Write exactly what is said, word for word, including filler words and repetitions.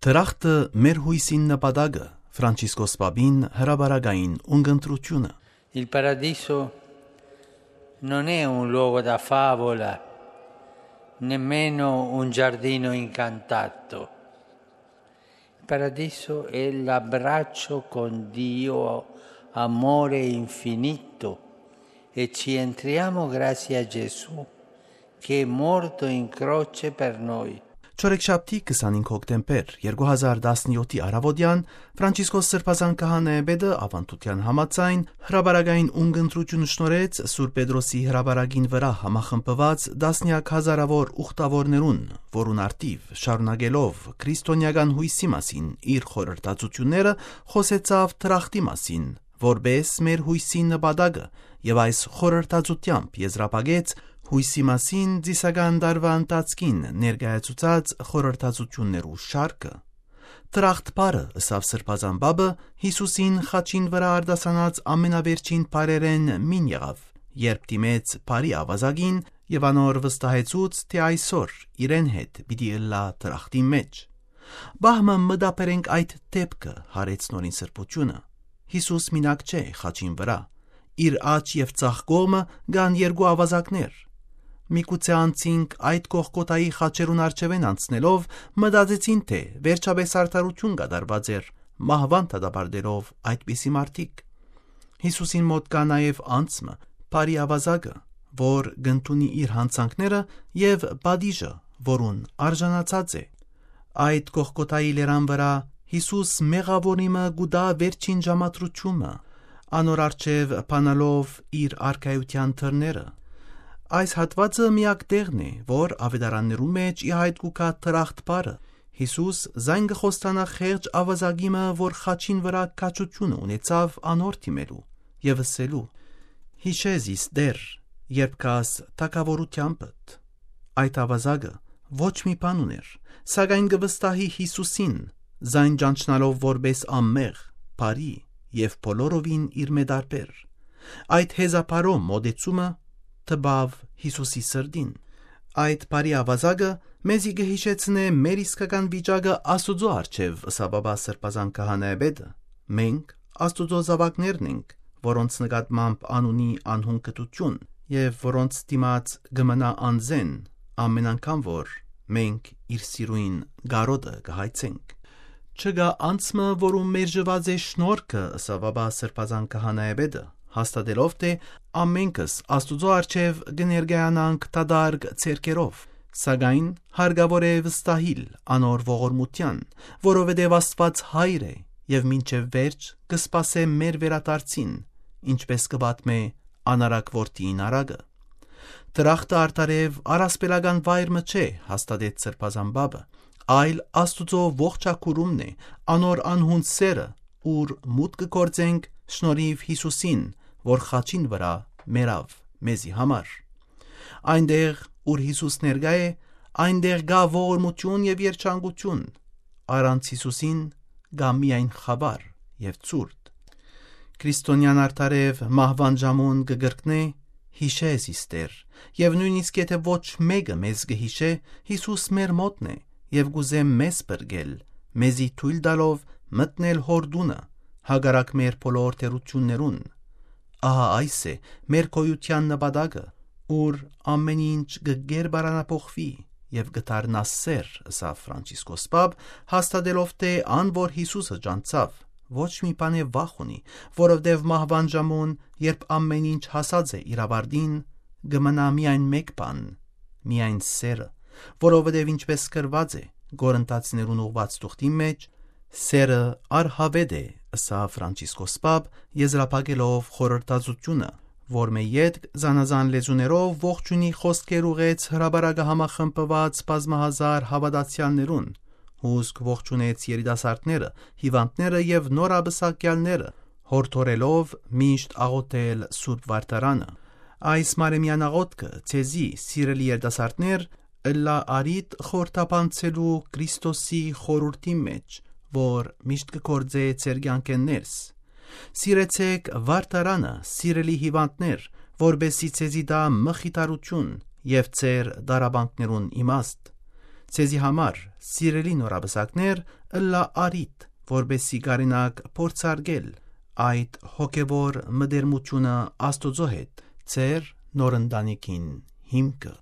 Դրախտը մեր յոյսին նպատակը, Ֆրանցիսկոս Պապին հրապարակային ունգընտրութիւնը։ Il paradiso non è un luogo da favola, nemmeno un giardino incantato. Il paradiso è l'abbraccio con Dio, amore infinito, e ci entriamo grazie a Gesù che è morto in croce per noi. Չորեքշաբթի քսանհինգ հոկտեմբեր երկու հազար տասնյոթի առաւօտեան Ֆրանցիսկոս Սրբազան քահանայապետը, աւանդութեան համաձայն, հրապարակային ունգընտրութիւն շնորհեց Սուրբ Պետրոսի հրապարակին վրայ համախմբուած տասնեակ հազարաւոր ուխտաւորներուն, որուն առթիւ շարունակելով քրիստոնեական յոյսի մասին իր խորհրդածութիւնները, խօսեցաւ դրախտի մասին, որպէս մեր յոյսի նպատակը, եւ այս խորհրդածութեամբ եզրափակեց յոյսի մասին ծիսական տարուայ ընթացքին ներկայացուցած խորհրդածութիւններու շարքը։ Դրախտ բառը, ըսաւ Սրբազան Պապը, Յիսուսին խաչին վրայ արտասանած ամենավերջին բառերէն մին եղաւ, երբ դիմեց բարի աւազակին եւ անոր վստահեցուց, թէ այսօր իրեն հետ պիտի ըլլայ դրախտին մէջ։ Պահ մը մտաբերենք այդ դէպքը, յարեց Նորին Սրբութիւնը։ Յիսուս մինակ չէ խաչին վրայ։ Իր աջ եւ ձախ կողմը կան երկու աւազակներ։ Միգուցե անցինք այդ Գողգոթայի խաչերուն առջեւէն անցնելով, մտածեցին, թէ վերջապէս արդարութիւն կատարուած էր, մահուան դատապարտելով այդպիսի մարդիկ։ Յիսուսին մօտ կայ նաեւ անձ մը, բարի աւազակը, որ կ'ընդունի իր յանցանքները եւ պատիժը, որուն արժանացած է։ Այդ Գողգոթայի լերան վրայ Յիսուս մեղաւորի մը կու տայ վերջին ժամադրութիւնը, անոր առջեւ բանալով իր արքայութեան դռները։ Այս հատուածը միակ տեղն է, որ աւետարաններուն մէջ ի հայտ կու գայ դրախտ բառը։ Յիսուս զայն կը խոստանայ խեղճ աւազակի մը, որ խաչին վրայ քաջութիւնը ունեցաւ անոր դիմելու եւ ըսելու. «Յիշէ զիս, Տէր, երբ գաս թագաւորութեամբդ»։ Այդ աւազակը ոչ մի բան ունէր, սակայն կը վստահի Յիսուսին, զայն ճանչնալով որպէս անմեղ, բարի եւ բոլորովին իրմէ տարբեր։ Այդ հեզապարոյ մօտեցումը տպաւ Յիսուսի սրտին։ Այդ բարի աւազակը մեզի կը յիշեցնէ մեր իսկական վիճակը Աստուծոյ առջեւ, ըսաւ ապա Սրբազան քահանայապետը։ Մենք Աստուծոյ զաւակներն ենք, որոնց նկատմամբ անունի անհուն կտութիւն եւ որոնց դիմաց կը մնայ անզէն, ամեն անգամ որ մենք իր սիրոյն կարօտը կը հայցենք։ «Չկայ անձ մը, որուն մերժուած է շնորհքը», ըսաւ ապա Սրբազան քահանայապետը, հաստատելով թէ ամենքս Աստուծոյ առջեւ կը ներկայանանք դատարկ ձեռքերով, սակայն հարկաւոր է վստահիլ անոր ողորմութեան, որովհետեւ Աստուած Հայր է եւ մինչեւ վերջ կը սպասէ մեր վերադարձին, ինչպէս կը պատմէ անարակ որդիին արագը։ Դրախտը արդարեւ առասպելական վայր մը չէ, հաստատեց Սրբազան Պապը, այլ Աստուծոյ ողջագուրումն է, անոր անհուն սէրը, ուր մուտք կը գործենք շնորհիւ Յիսուսին, որ խաչին վրայ մեռաւ մեզի համար։ Այնտեղ, ուր Յիսուս ներկայ է, այնտեղ կայ ողորմութիւն եւ երջանկութիւն։ Առանց Յիսուսին կայ միայն խաւար եւ ցուրտ։ Քրիստոնեան արդարեւ մահուան ժամուն կը կրկնէ. «Յիշէ զիս, Տէր», եւ նոյնիսկ եթէ ոչ մէկը մեզ կը յիշէ, Յիսուս մեր մօտն է եւ կ'ուզէ մեզ փրկել, մեզի թոյլ տալով մտնել Հօր տունը, հակառակ մեր բոլոր թերութիւններուն։ Ահա այս է մեր գոյութեան նպատակը, ուր ամեն ինչ կը կերպարանափոխուի եւ կը դառնայ սէր, ըսաւ Ֆրանցիսկոս Պապ, հաստատելով թէ ան որ Յիսուսը ճանչցաւ, ոչ մի բանէ վախ ունի, որովհետեւ մահուան ժամուն, երբ ամեն ինչ հասած է իր աւարտին, կը մնայ միայն մէկ բան, միայն սէրը, որովհետեւ ինչպէս գրուած է Կորինթացիներուն ուղղուած թուղթին մէջ. «Սէրը արհաւետ է», ըսաւ Ֆրանցիսկոս Պապ, եզրափակելով խորհրդածութիւնը, որ մէ ետք զանազան լեզուներով ողջունի խօսքեր ուղղեց հրապարակը համախմբուած բազմահազար հաւատացեալներուն, հուսկ ողջունեց երիտասարդները, հիւանդները եւ նորապսակեալները, յորդորելով միշտ աղօթել Սուրբ Վարդարանը։ Այս մարեմեան աղօթքը ձեզի, սիրելի երիտասարդներ, ըլլայ առիթ խորհրդաբանցելու Քրիստոսի խորհուրդին մէջ, որ միշտ կը գործէ ձեր կեանքէն ներս։ Սիրեցէք Վարդարանը, սիրելի հիւանդներ, որպէսզի ձեզի տայ մխիթարութիւն եւ ձեր տառապանքներուն իմաստ։ Ձեզի համար, սիրելի նորապսակներ, ըլլայ առիթ, որպեսզի կարենաք փորձարկել այդ հոգեվոր մտերմութիւնը Աստուծոյ հետ, ձեր նոր ընտանիքին հիմքը։